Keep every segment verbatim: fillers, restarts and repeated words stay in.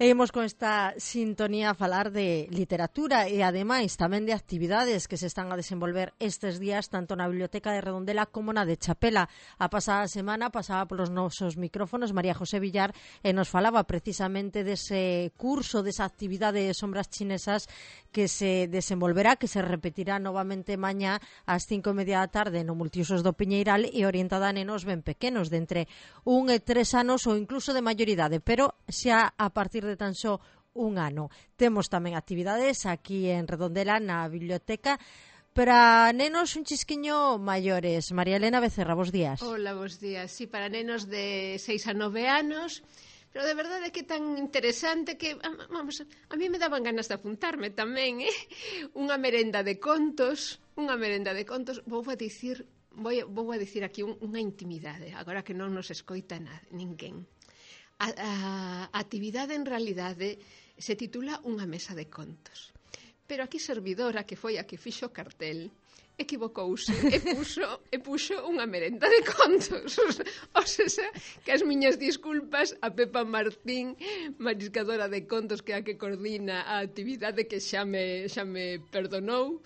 E imos con esta sintonía a falar de literatura e ademais tamén de actividades que se están a desenvolver estes días tanto na Biblioteca de Redondela como na de Chapela. A pasada semana pasaba polos nosos micrófonos María José Villar e nos falaba precisamente dese curso, desa actividade de sombras chinesas que se desenvolverá, que se repetirá novamente mañá ás cinco e media da tarde no Multiusos do Piñeiral e orientada a nenos ben pequenos de entre un e tres anos ou incluso de maioridade, pero xa a partir de tan só un ano. Temos tamén actividades aquí en Redondela na biblioteca para nenos un chisquiño maiores. María Elena Becerra, bos días. Hola, bos días. Sí, para nenos de seis a nove anos, pero de verdade que tan interesante que, vamos, a mí me daban ganas de apuntarme tamén, eh? Unha merenda de contos, unha merenda de contos, vou a dicir, vou, vou a dicir aquí un, unha intimidade, agora que non nos escoita nada, ninguén. A, a, a actividade en realidade se titula Unha mesa de contos, pero aquí servidora, que foi a que fixo o cartel, equivocouse e puxo, e puxo unha merenda de contos. O sea, que as miñas disculpas a Pepa Martín, mariscadora de contos, que é a que coordina a actividade, que xa me, xa me perdonou,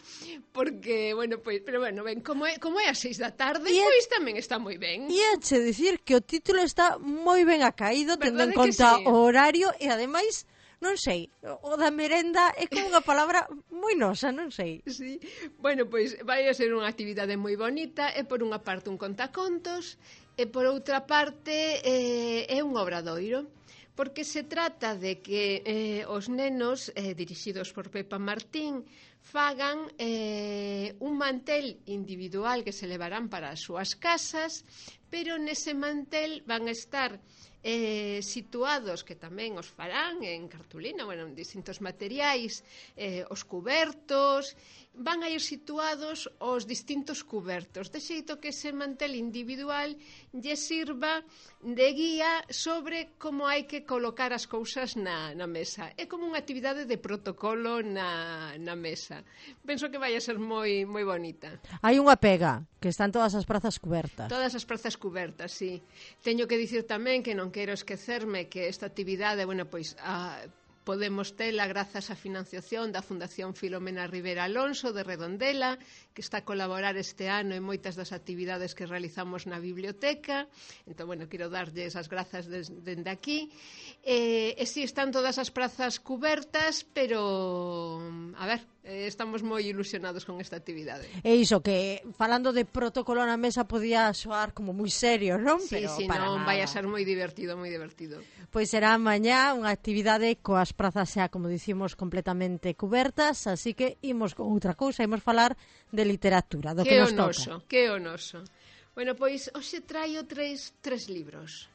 porque, bueno, pois, pero bueno, ben, como é, como é as seis da tarde, e pois tamén está moi ben. E é che dicir que o título está moi ben acaído, tendo en conta sí? o horario, e ademais, non sei, o da merenda é como unha palabra moi nosa, non sei. Sí, bueno, pois vai a ser unha actividade moi bonita, é por unha parte un contacontos, e por outra parte eh, é un obradoiro, porque se trata de que eh, os nenos, eh, dirixidos por Pepa Martín, fagan eh, un mantel individual que se levarán para as súas casas, pero nese mantel van a estar Eh, situados, que tamén os farán en cartulina, bueno, en distintos materiais, eh, os cubertos, van a ir situados os distintos cubertos, de xeito que ese mantel individual lle sirva de guía sobre como hai que colocar as cousas na, na mesa. É como unha actividade de protocolo na, na mesa. Penso que vai a ser moi, moi bonita. Hai unha pega, que están todas as prazas cubertas. Todas as prazas cubertas, sí. Teño que dicir tamén que non quero esquecerme que esta actividade, bueno, pois a, podemos tela grazas á financiación da Fundación Filomena Rivera Alonso de Redondela, que está a colaborar este ano en moitas das actividades que realizamos na biblioteca. Entón, bueno, quero darlles as grazas dende aquí. E, e si, están todas as prazas cubertas, pero, a ver, estamos moi ilusionados con esta actividade. E iso, que falando de protocolo na mesa podía soar como moi serio, non? Sí, pero sí, para non, nada. vai a ser moi divertido, moi divertido. Pois será mañá unha actividade coas prazas xa, como dicimos, completamente cubertas, así que imos con outra cousa, imos falar de literatura, do que, que nos onoso, toca. Que onoso. Bueno, pois hoxe traio tres, tres libros.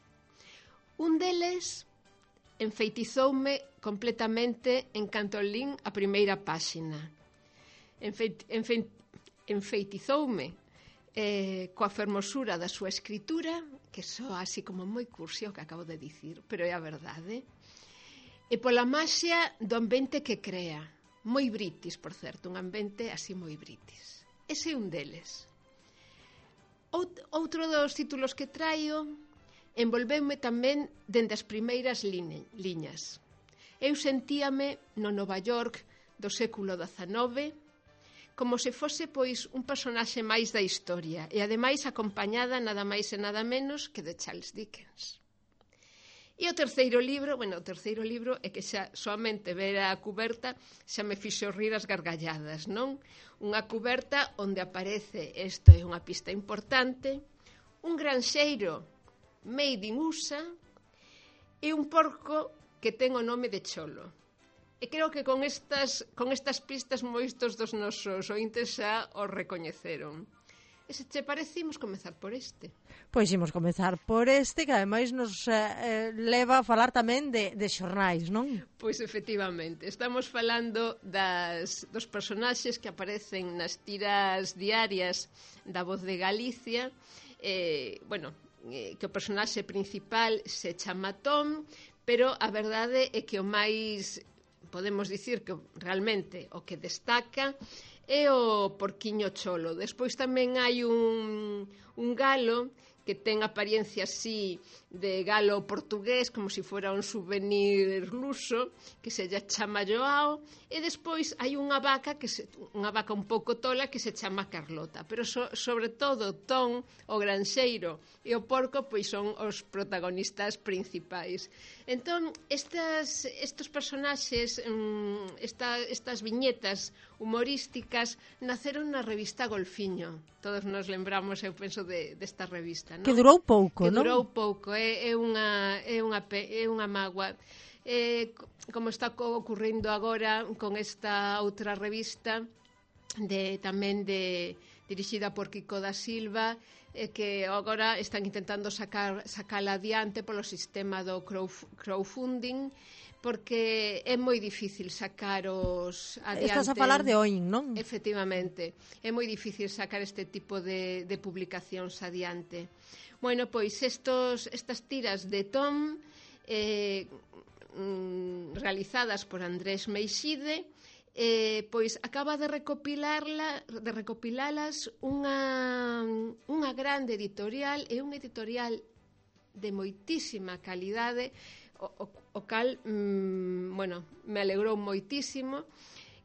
Un deles enfeitizoume completamente en canto lín a primeira páxina. Enfeit, enfeit, enfeitizoume eh, coa fermosura da súa escritura, que soa así como moi cursi o que acabo de dicir, pero é a verdade, e pola maxia do ambiente que crea, moi britis, por certo, un ambiente así moi britis. Ese é un deles. Out, outro dos títulos que traio envolveume tamén dende as primeiras line, liñas. Eu sentíame no Nova York do século dezanove como se fose, pois, un personaxe máis da historia e, ademais, acompañada nada máis e nada menos que de Charles Dickens. E o terceiro libro, bueno, o terceiro libro é que xa soamente ver a cuberta xa me fixo rir as gargalladas, non? Unha cuberta onde aparece, isto é unha pista importante, un granxeiro made in U S A e un porco que ten o nome de Cholo. E creo que con estas, con estas pistas moitos dos nosos ointes xa os recoñeceron. E se che parece, imos comezar por este. Pois imos comezar por este, que ademais nos eh, leva a falar tamén de, de xornais, non? Pois efectivamente, estamos falando das, dos personaxes que aparecen nas tiras diarias da Voz de Galicia. Eh, bueno, que o personaxe principal se chama Tom, pero a verdade é que o máis, podemos dicir que realmente o que destaca é o porquiño Cholo. Despois tamén hai un, un galo que ten apariencia así de galo portugués, como se si fora un souvenir luso, que se lla chama Joao, e despois hai unha vaca, que se, unha vaca un pouco tola, que se chama Carlota, pero so, sobre todo Tom, o granxeiro, e o porco, pois son os protagonistas principais. Entón, estas, estos personaxes, esta, estas viñetas humorísticas, naceron na revista Golfiño. Todos nos lembramos, eu penso, de, desta revista, non? Que durou pouco, que non? Que durou pouco, é, é, unha, é, unha, é unha mágoa. Eh, como está ocurrindo agora con esta outra revista, de tamén de dirixida por Kiko da Silva, eh, que agora están intentando sacar sacala adiante polo sistema do crowdfunding, porque é moi difícil sacar os adiante. Estás a falar de Oin, non? Efectivamente, é moi difícil sacar este tipo de, de publicacións adiante. Bueno, pois estos, estas tiras de Tom, eh, mm, realizadas por Andrés Meixide, eh, pois acaba de recopilarla, de recopilalas unha, unha grande editorial, e unha editorial de moitísima calidade, o, o, o cal, mmm, bueno, me alegrou moitísimo,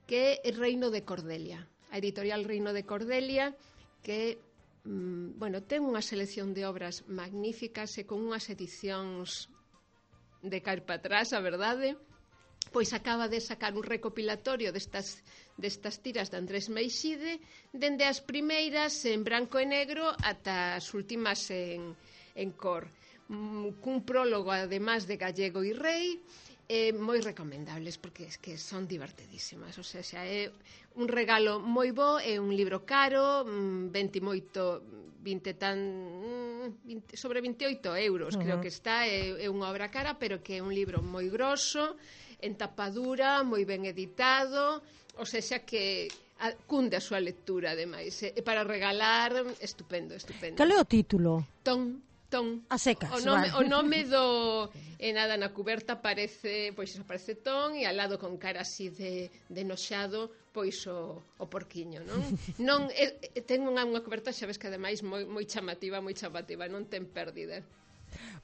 que é Reino de Cordelia. A editorial Reino de Cordelia, que, mmm, bueno, ten unha selección de obras magníficas e con unhas edicións de caer para atrás, a verdade. Pois acaba de sacar un recopilatorio destas, destas tiras de Andrés Meixide, dende as primeiras en branco e negro ata as últimas en, en cor. Cun prólogo, además, de Gallego e Rei, eh, moi recomendables, porque es que son divertidísimas. O sea, xa é un regalo moi bo, é un libro caro, vinte moito, vinte tan, vinte, sobre veintioito euros, uh-huh. creo que está, é, é unha obra cara, pero que é un libro moi grosso, en tapadura, moi ben editado, o sea, xa que a, cunde a súa lectura, ademais, e para regalar, estupendo, estupendo. Cal é o título? Tom. A secas, o nome, vale. o nome do e nada, na cuberta aparece, pois aparece Tom, e al lado con cara así de, de noxado, pois o, o porquiño, non? Non é, ten unha, unha cuberta, xa ves que ademais moi, moi chamativa, moi chamativa, non ten pérdida.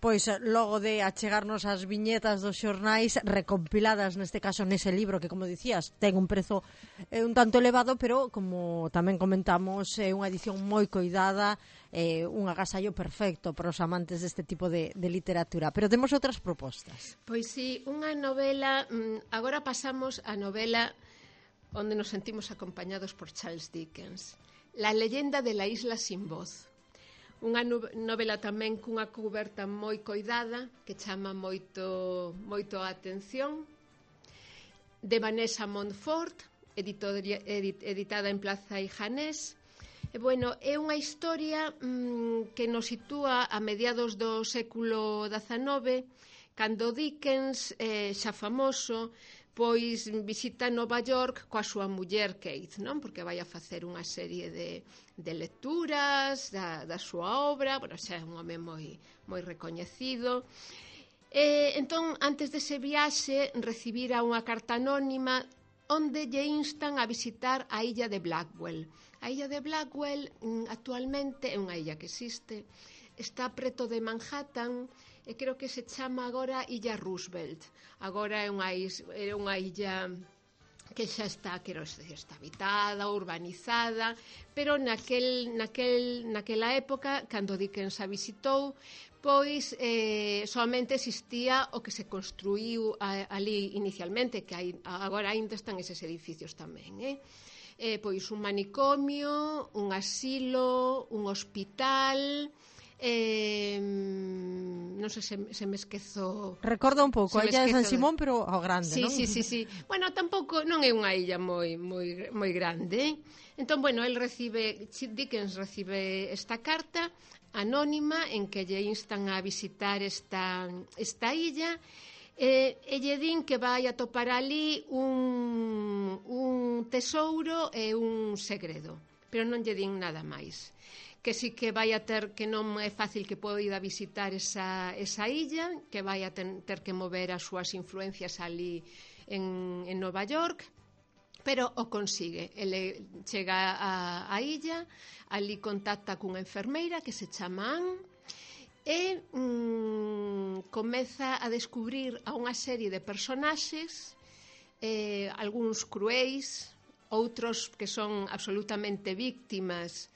Pois logo de achegarnos as viñetas dos xornais recompiladas neste caso nese libro que, como dicías, ten un prezo eh, un tanto elevado, pero como tamén comentamos, é eh, unha edición moi coidada, eh, un agasallo perfecto para os amantes deste tipo de, de literatura. Pero temos outras propostas. Pois sí, unha novela, agora pasamos a novela onde nos sentimos acompañados por Charles Dickens, La leyenda de la isla sin voz. Unha novela tamén cunha cuberta moi coidada, que chama moito, moito a atención, de Vanessa Montfort, editoria, edit, editada en Plaza y Janés. E, bueno, é unha historia mmm, que nos sitúa a mediados do século dezanove, cando Dickens, eh, xa famoso, pois visita Nova York coa súa muller Kate, non? Porque vai a facer unha serie de, de lecturas da, da súa obra, bueno, xa é un home moi, moi recoñecido. E, entón, antes dese viaxe, recibira unha carta anónima onde lle instan a visitar a illa de Blackwell. A illa de Blackwell, actualmente, é unha illa que existe, está preto de Manhattan, e creo que se chama agora Illa Roosevelt. Agora é unha, is, é unha illa que xa está, quero decir, está habitada, urbanizada, pero naquel, naquel, naquela época, cando Dickens a visitou, pois eh, solamente existía o que se construíu a, ali inicialmente, que hai, agora ainda están eses edificios tamén, eh? Eh, pois un manicomio, un asilo, un hospital. Eh, non sei se, se me esquezo. Recorda un pouco a illa de San Simón, pero ao grande, sí, non? Sí, sí, sí. Bueno, tampouco non é unha illa moi moi moi grande. Entón, bueno, el recibe Dickens recibe esta carta anónima en que lle instan a visitar esta esta illa. E, e lle din que vai a topar ali un un tesouro e un segredo, pero non lle din nada máis. Que sí que vai a ter, que non é fácil que poida visitar esa, esa illa, que vai a ten, ter que mover as súas influencias ali en, en Nova York, pero o consigue. Ele chega a, a illa, ali contacta cunha enfermeira que se chama Anne, e mm, comeza a descubrir a unha serie de personaxes, eh, algúns cruéis, outros que son absolutamente víctimas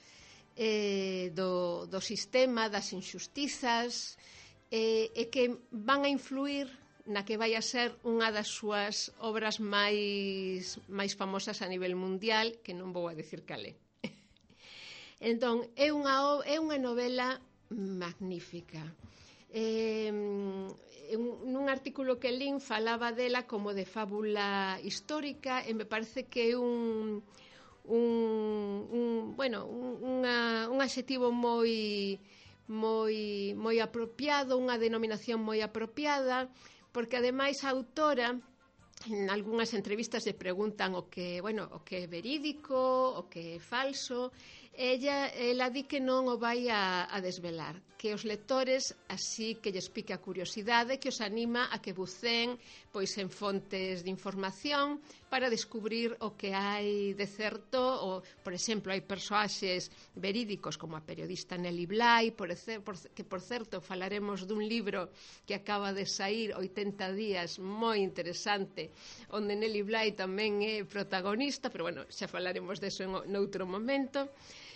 eh, do, do sistema, das injustizas, eh, e que van a influir na que vai a ser unha das súas obras máis máis famosas a nivel mundial, que non vou a decir cal é. Entón, é unha, é unha novela magnífica. Eh, nun artículo que lín falaba dela como de fábula histórica e me parece que é un, un, un bueno, un, unha, un adxetivo moi, moi, moi apropiado, unha denominación moi apropiada, porque ademais a autora en algunhas entrevistas lle preguntan o que, bueno, o que é verídico, o que é falso. Ella, ela di que non o vai a, a desvelar, que os lectores así que lles pique a curiosidade, que os anima a que buceen pois en fontes de información para descubrir o que hai de certo. O, por exemplo, hai persoaxes verídicos como a periodista Nelly Bly, por, por, que por certo falaremos dun libro que acaba de saír, oitenta días, moi interesante, onde Nelly Bly tamén é protagonista, pero bueno, xa falaremos deso en noutro momento.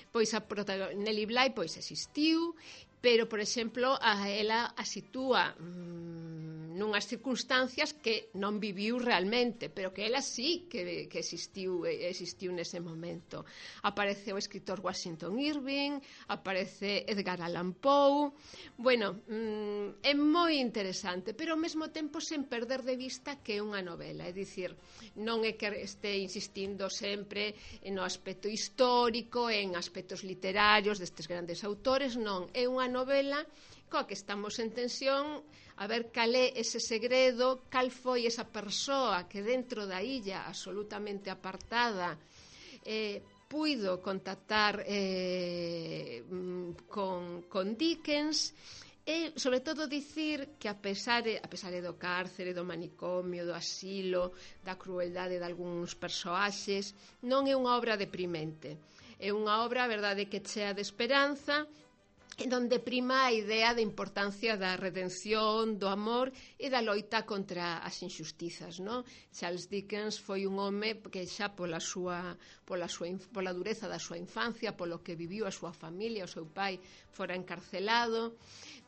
Pois a Nelly Bly pois existiu, pero, por exemplo, a ela a sitúa mmm, nunhas circunstancias que non viviu realmente, pero que ela sí que, que existiu, existiu nese momento. Aparece o escritor Washington Irving, aparece Edgar Allan Poe. Bueno, mmm, é moi interesante, pero ao mesmo tempo sen perder de vista que é unha novela, é dicir, non é que este insistindo sempre no aspecto histórico, en aspectos literarios destes grandes autores, non, é unha novela coa que estamos en tensión a ver cal é ese segredo, cal foi esa persoa que dentro da illa absolutamente apartada eh, puido contactar eh, con, con Dickens. E, sobre todo, dicir que a pesar, a pesar do cárcere, do manicomio, do asilo, da crueldade de algúns persoaxes, non é unha obra deprimente. É unha obra, a verdade, que chea de esperanza, en donde prima a idea da importancia da redención, do amor e da loita contra as injustizas, non? Charles Dickens foi un home que xa pola súa, pola súa pola dureza da súa infancia, polo que viviu a súa familia, o seu pai fora encarcelado,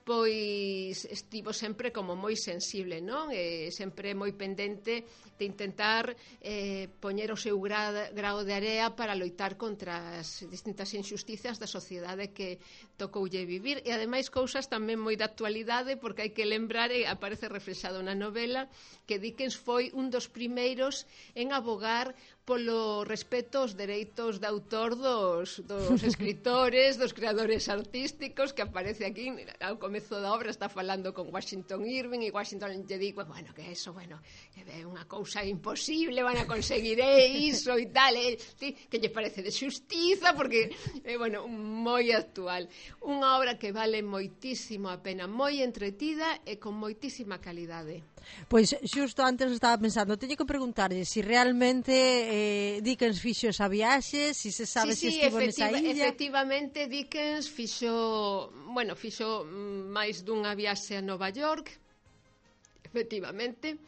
pois estivo sempre como moi sensible, non? E sempre moi pendente de intentar eh, poñer o seu gra, grao de area para loitar contra as distintas injustizas da sociedade que tocoulle vivir, e ademais cousas tamén moi de actualidade, porque hai que lembrar, e aparece reflexado na novela, que Dickens foi un dos primeiros en abogar polo respeto aos dereitos de autor dos, dos escritores, dos creadores artísticos, que aparece aquí ao comezo da obra, está falando con Washington Irving, e Washington lle di, bueno, que eso, bueno, que é unha cousa imposible, van a conseguir iso e tal, e, que lle parece de xustiza, porque, eh, bueno, moi actual. Unha obra que vale moitísimo a pena, moi entretida e con moitísima calidade. Pois xusto antes estaba pensando, teño que preguntarlle se si realmente eh, Dickens fixo esa viaxe, se si se sabe sí, se sí, estivo nesa illa. Efectivamente, Dickens fixo, bueno, fixo máis dunha viaxe a Nova York, efectivamente,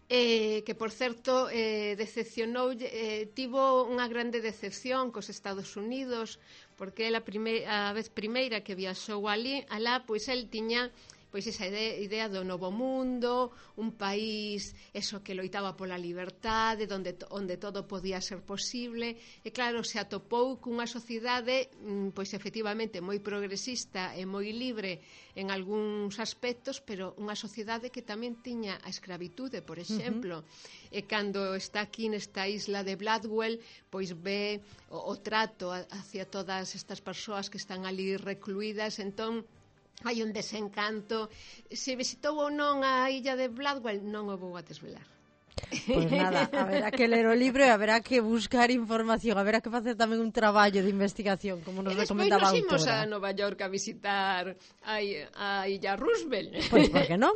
eh, que por certo eh, decepcionou, eh, tivo unha grande decepción cos Estados Unidos, porque a, prime, a vez primeira que viaxou ali, alá, pois el tiña pois esa idea do novo mundo, un país eso que loitaba pola liberdade, onde, onde todo podía ser posible, e claro, se atopou cunha sociedade pois efectivamente moi progresista e moi libre en algúns aspectos, pero unha sociedade que tamén tiña a escravitude, por exemplo. Uh-huh. E cando está aquí nesta isla de Bladwell, pois ve o, o trato hacia todas estas persoas que están ali recluídas, entón hai un desencanto. Se visitou ou non a illa de Bladwell, non o vou a desvelar. Pois nada, haberá que ler o libro e haberá que buscar información, haberá que facer tamén un traballo de investigación, como nos recomendaba a autora. E despois nos imos a Nova York a visitar a, a illa Roosevelt. Pois por que non?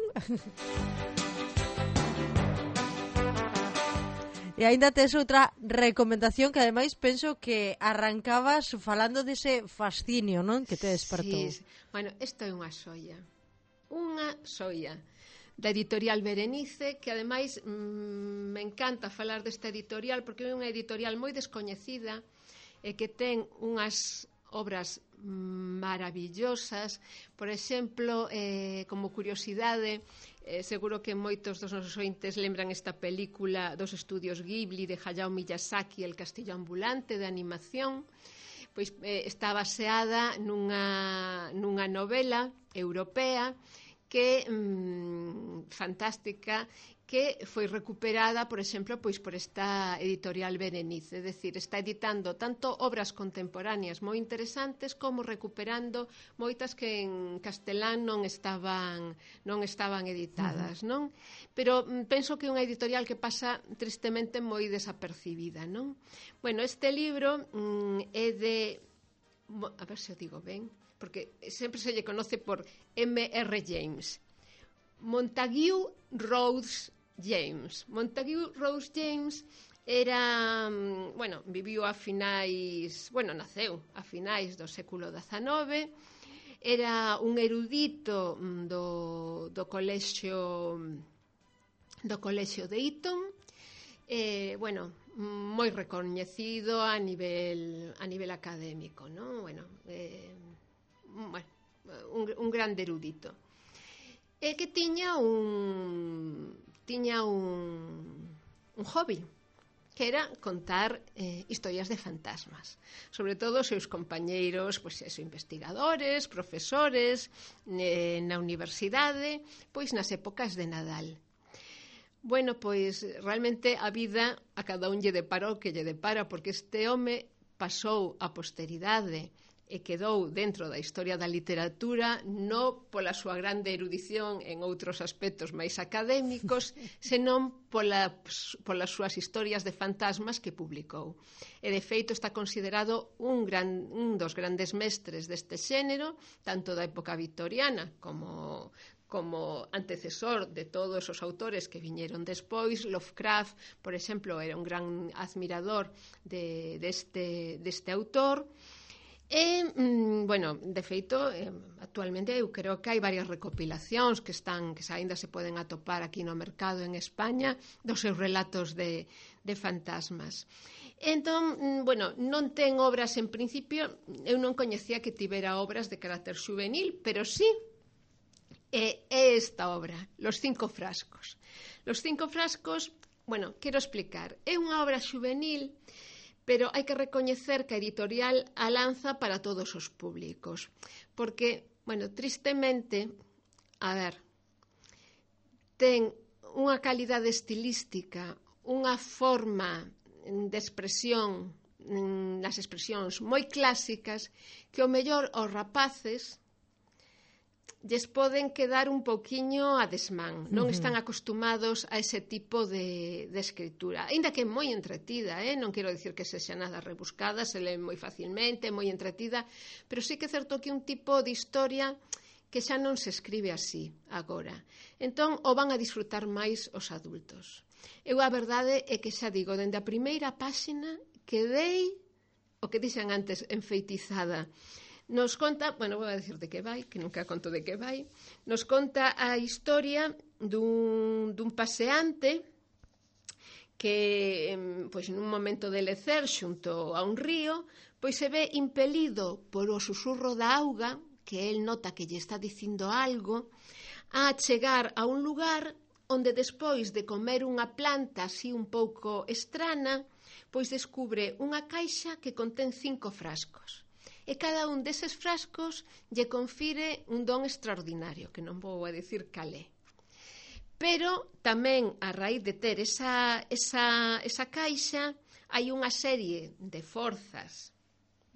E aínda tes outra recomendación que ademais penso que arrancabas falando dese fascinio, non? Que te despertou. Sí, bueno, isto é unha xoia. Unha xoia da editorial Berenice, que ademais mmm, me encanta falar desta editorial porque é unha editorial moi descoñecida e que ten unhas obras maravillosas. Por exemplo, eh, como curiosidade, eh, seguro que moitos dos nosos ointes lembran esta película dos estudios Ghibli de Hayao Miyazaki, El castillo ambulante, de animación. Pois eh, está baseada nunha, nunha novela europea que mmm, fantástica, que foi recuperada, por exemplo, pois por esta editorial Berenice, é dicir, está editando tanto obras contemporáneas moi interesantes como recuperando moitas que en castelán non estaban non estaban editadas, non? Pero mm, penso que é unha editorial que pasa tristemente moi desapercibida, non? Bueno, este libro mm, é de, a ver se o digo ben, porque sempre se lle conoce por eme erre James. Montague Rhodes James. Montague Rhodes James era, bueno, viviu a finais, bueno, naceu a finais do século dezanove, era un erudito do, do colexio do colexio de Eton, eh, bueno, moi recoñecido a nivel a nivel académico, non? Bueno, eh, bueno, un, un grande erudito. E que tiña un tiña un, un hobby, que era contar eh, historias de fantasmas, sobre todo os seus compañeiros, pois, eso, investigadores, profesores, eh, na universidade, pois nas épocas de Nadal. Bueno, pois realmente a vida a cada un lle depara o que lle depara, porque este home pasou a posteridade e quedou dentro da historia da literatura non pola súa grande erudición en outros aspectos máis académicos, senón pola, polas súas historias de fantasmas que publicou. E de feito está considerado un, gran, un dos grandes mestres deste xénero, tanto da época victoriana como como antecesor de todos os autores que viñeron despois. Lovecraft, por exemplo, era un gran admirador de, deste, deste autor. E, bueno, de feito, actualmente eu creo que hai varias recopilacións que están, que aínda se poden atopar aquí no mercado en España, dos seus relatos de, de fantasmas. Entón, bueno, non ten obras en principio, eu non coñecía que tivera obras de carácter juvenil, pero sí, é, é esta obra, Los cinco frascos. Los cinco frascos, bueno, quero explicar, é unha obra juvenil, pero hai que recoñecer que a editorial a lanza para todos os públicos, porque, bueno, tristemente, a ver, ten unha calidade estilística, unha forma de expresión, nas expresións moi clásicas, que o mellor aos rapaces lles poden quedar un pouquiño a desmán, non están acostumados a ese tipo de, de escritura, aínda que é moi entretida, eh? Non quero dicir que sexa nada rebuscada, se lee moi facilmente, moi entretida, pero sí que é certo que un tipo de historia que xa non se escribe así agora, entón o van a disfrutar máis os adultos. Eu a verdade é que xa digo, dende a primeira páxina quedei, o que dixen antes, enfeitizada. Nos conta, bueno, vou a decir de que vai, que nunca conto de que vai, nos conta a historia dun, dun paseante que, pois, nun momento de lecer xunto a un río, pois se ve impelido por o susurro da auga, que el nota que lle está dicindo algo, a chegar a un lugar onde despois de comer unha planta así un pouco estrana, pois descubre unha caixa que contén cinco frascos. E cada un deses frascos lle confire un don extraordinario, que non vou a dicir calé. Pero tamén, a raíz de ter esa, esa, esa caixa, hai unha serie de forzas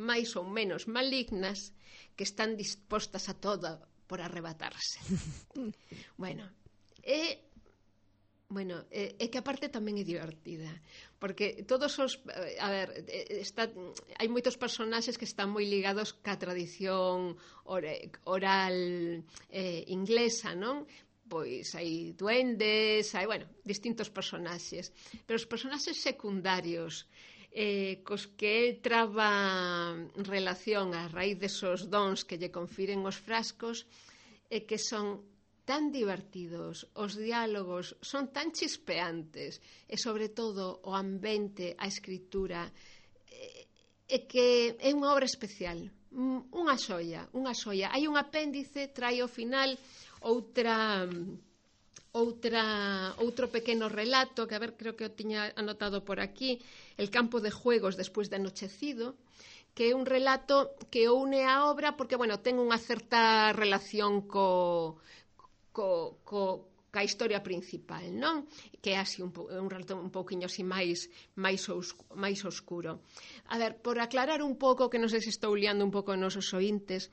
máis ou menos malignas que están dispostas a toda por arrebatarse. Bueno, e... Bueno, é, é que a parte tamén é divertida, porque todos os, a ver, está, hai moitos personaxes que están moi ligados ca tradición oral eh, inglesa, non? pois hai duendes, hai, bueno, distintos personaxes. Pero os personaxes secundarios eh, cos que el traba relación a raíz desos dons que lle confiren os frascos e que son tan divertidos, os diálogos son tan chispeantes e sobre todo o ambiente, a escritura e, e que é unha obra especial, unha xoia, unha xoia. Hai un apéndice, trai ao final outra outra outro pequeno relato que, a ver, creo que o tiña anotado por aquí, El campo de juegos despois de anochecido, que é un relato que une a obra porque, bueno, ten unha certa relación co co, co ca historia principal, non? Que é así un, un relato un pouquiño así máis máis, oscuro, máis oscuro. A ver, por aclarar un pouco, que non sei se estou liando un pouco nos ointes,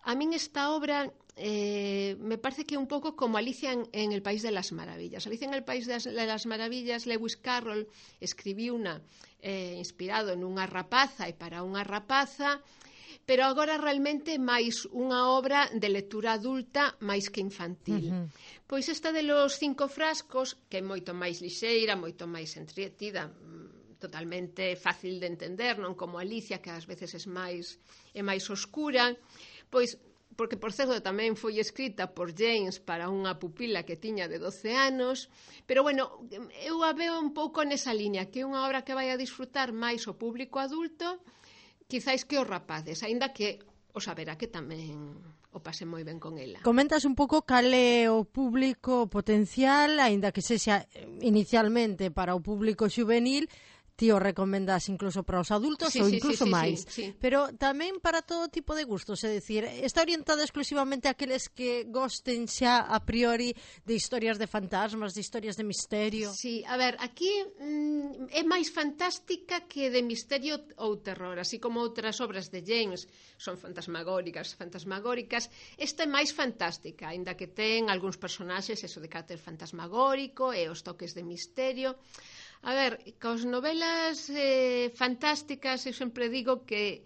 a min esta obra eh, me parece que é un pouco como Alicia en, en el País de las Maravillas. Alicia en el País de las, de las Maravillas, Lewis Carroll escribiu unha eh, inspirado nunha rapaza e para unha rapaza, pero agora realmente máis unha obra de lectura adulta máis que infantil. Uh-huh. Pois esta de los cinco frascos, que é moito máis lixeira, moito máis entretida, totalmente fácil de entender, non como Alicia, que ás veces é máis, é máis oscura, pois, porque, por certo, tamén foi escrita por James para unha pupila que tiña de doce anos, pero, bueno, eu a veo un pouco nesa liña, que é unha obra que vai a disfrutar máis o público adulto, quizáis que os rapaces, aínda que o saberá que tamén o pase moi ben con ela. Comentas un pouco cal é o público potencial, aínda que sexa inicialmente para o público xuvenil, ti o recomendas incluso para os adultos sí, ou sí, incluso sí, sí, máis, sí, sí. Pero tamén para todo tipo de gustos, é dicir, está orientada exclusivamente a aqueles que gosten xa a priori de historias de fantasmas, de historias de misterio. Sí, a ver, aquí mm, é máis fantástica que de misterio ou terror, así como outras obras de James son fantasmagóricas, fantasmagóricas, esta é máis fantástica, aínda que ten algúns personaxes eso de carácter fantasmagórico e os toques de misterio. A ver, cos novelas eh, fantásticas eu sempre digo que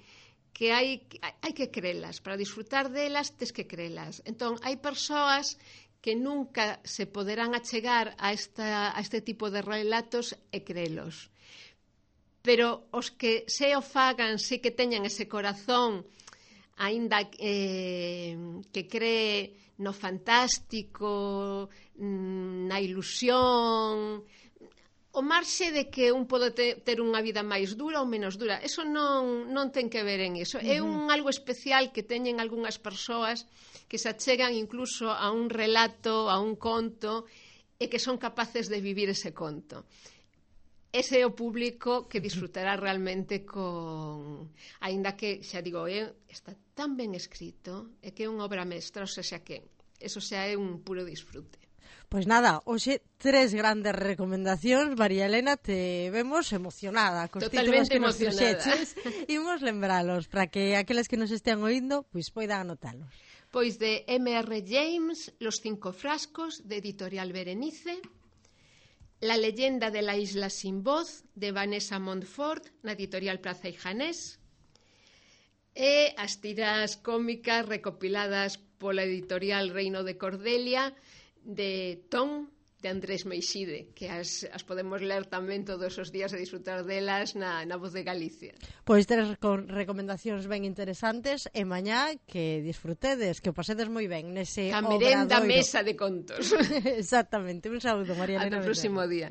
que hai, hai que crelas, para disfrutar delas tes que crelas. Entón, hai persoas que nunca se poderán achegar a, esta, a este tipo de relatos e crelos. Pero os que se o fagan, se que teñan ese corazón, aínda eh, que cree no fantástico, na ilusión, o marxe de que un pode ter unha vida máis dura ou menos dura, eso non, non ten que ver en iso. Uh-huh. É un algo especial que teñen algunhas persoas que se achegan incluso a un relato, a un conto, e que son capaces de vivir ese conto. Ese é o público que disfrutará realmente con... Aínda que, xa digo, é, está tan ben escrito, é que é unha obra mestra, ou xa que eso xa é un puro disfrute. Pois nada, hoxe tres grandes recomendacións, María Elena, te vemos emocionada cos títulos que nos fixeches. Imos lembralos para que aqueles que nos estean oindo pois poidan anotalos. Pois de M R James, Los cinco frascos, de Editorial Berenice, La leyenda de la isla sin voz, de Vanessa Montfort, na Editorial Praza y Janés, e as tiras cómicas recopiladas pola Editorial Reino de Cordelia, de Tom, de Andrés Meixide, que as, as podemos ler tamén todos os días e disfrutar delas na, na Voz de Galicia. Pois tres recomendacións ben interesantes e mañá que disfrutedes, que o pasedes moi ben nese a merenda obradoiro. Mesa de contos. Exactamente, un saúdo, María Elena. Ata o próximo día.